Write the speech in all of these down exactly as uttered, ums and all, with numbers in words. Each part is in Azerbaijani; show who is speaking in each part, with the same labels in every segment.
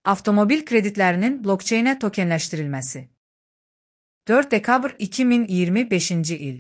Speaker 1: Avtomobil kreditlərinin blokçeynə tokenləşdirilməsi. dörd dekabr iki min iyirmi beşinci il.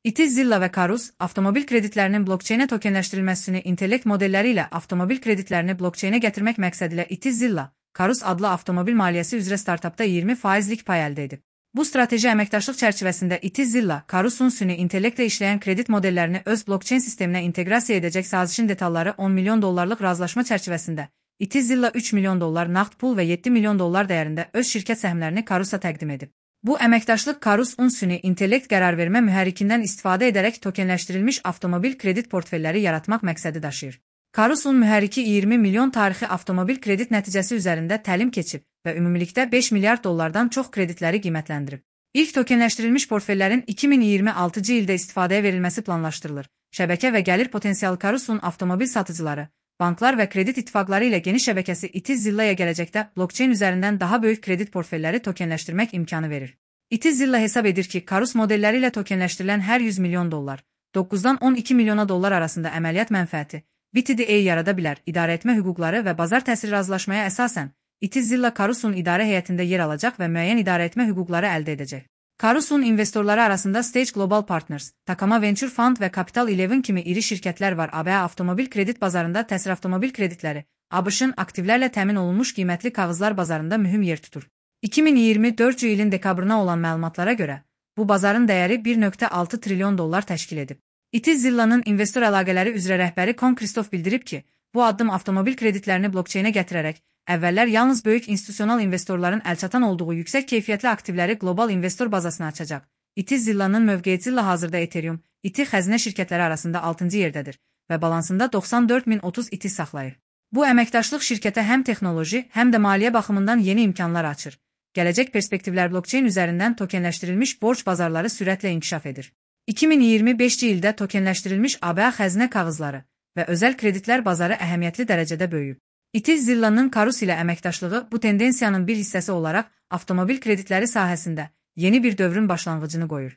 Speaker 1: İTI Zilla və Karus, avtomobil kreditlərinin blokçeynə tokenləşdirilməsini intellekt modelləri ilə avtomobil kreditlərini blokçeynə gətirmək məqsədilə İTI Zilla, Karus adlı avtomobil maliyyəsi üzrə startapda iyirmi faizlik pay əldə edib. Bu strateji əməkdaşlıq çərçivəsində İTI Zilla, Karusun süni intellektlə işləyən kredit modellərini öz blokçeyn sisteminə inteqrasiya edəcək sazişin detalları on milyon dollarlıq razılaşma çərçivəsində İTI Zilla üç milyon dollar nağd pul və yeddi milyon dollar dəyərində öz şirkət səhmlərini Karusa təqdim edib. Bu əməkdaşlıq Karus-un süni intellekt qərarvermə mühərrikindən istifadə edərək tokenləşdirilmiş avtomobil kredit portfelləri yaratmaq məqsədi daşıyır. Karus-un mühərriki iyirmi milyon tarixi avtomobil kredit nəticəsi üzərində təlim keçib və ümumilikdə beş milyard dollardan çox kreditləri qiymətləndirib. İlk tokenləşdirilmiş portfellərin iki min iyirmi altıncı ildə istifadəyə verilməsi planlaşdırılır. Şəbəkə və gəlir potensialı Karus-un avtomobil satıcıları, banklar və kredit ittifaqları ilə geniş şəbəkəsi İTI Zilla'ya gələcəkdə blokçeyn üzərindən daha böyük kredit portfelləri tokenləşdirmək imkanı verir. İTI Zilla hesab edir ki, Karus modelləri ilə tokenləşdirilən hər yüz milyon dollar, doqquzdan on iki milyona dollar arasında əməliyyat mənfəəti, B T D A yarada bilər. İdarəetmə hüquqları və bazar təsiri razılaşmaya əsasən, İTI Zilla Karusun idarə heyətində yer alacaq və müəyyən idarəetmə hüquqları əldə edəcək. Karusun investorları arasında Stage Global Partners, Takama Venture Fund və Capital Eleven kimi iri şirkətlər var. A B A avtomobil kredit bazarında təsir avtomobil kreditləri, ABŞ-ın aktivlərlə təmin olunmuş qiymətli kağızlar bazarında mühüm yer tutur. iki min iyirmi dördüncü ilin dekabrına olan məlumatlara görə, bu bazarın dəyəri bir nöqtə altı trilyon dollar təşkil edib. İTI Zilla'nın investor əlaqələri üzrə rəhbəri Kon Kristof bildirib ki, bu addım avtomobil kreditlərini blokçeynə gətirərək, əvvəllər yalnız böyük institusional investorların əlçatan olduğu yüksək keyfiyyətli aktivləri qlobal investor bazasına açacaq. İTI Zilla'nın mövqeyi Zilla hazırda Ethereum, İTI xəzinə şirkətləri arasında altıncı yerdədir və balansında doxsan dörd min otuz İTI saxlayır. Bu əməkdaşlıq şirkətə həm texnoloji, həm də maliyyə baxımından yeni imkanlar açır. Gələcək perspektivlər blokçeyn üzərindən tokenləşdirilmiş borc bazarları sürətlə inkişaf edir. iki min iyirmi beşinci ildə tokenləşdirilmiş A B A xəzinə kağızları və özəl kreditlər bazarı əhəmiyyətli dərəcədə böyüyüb. İTI Zilla'nın Karus ilə əməkdaşlığı bu tendensiyanın bir hissəsi olaraq avtomobil kreditləri sahəsində yeni bir dövrün başlanğıcını qoyur.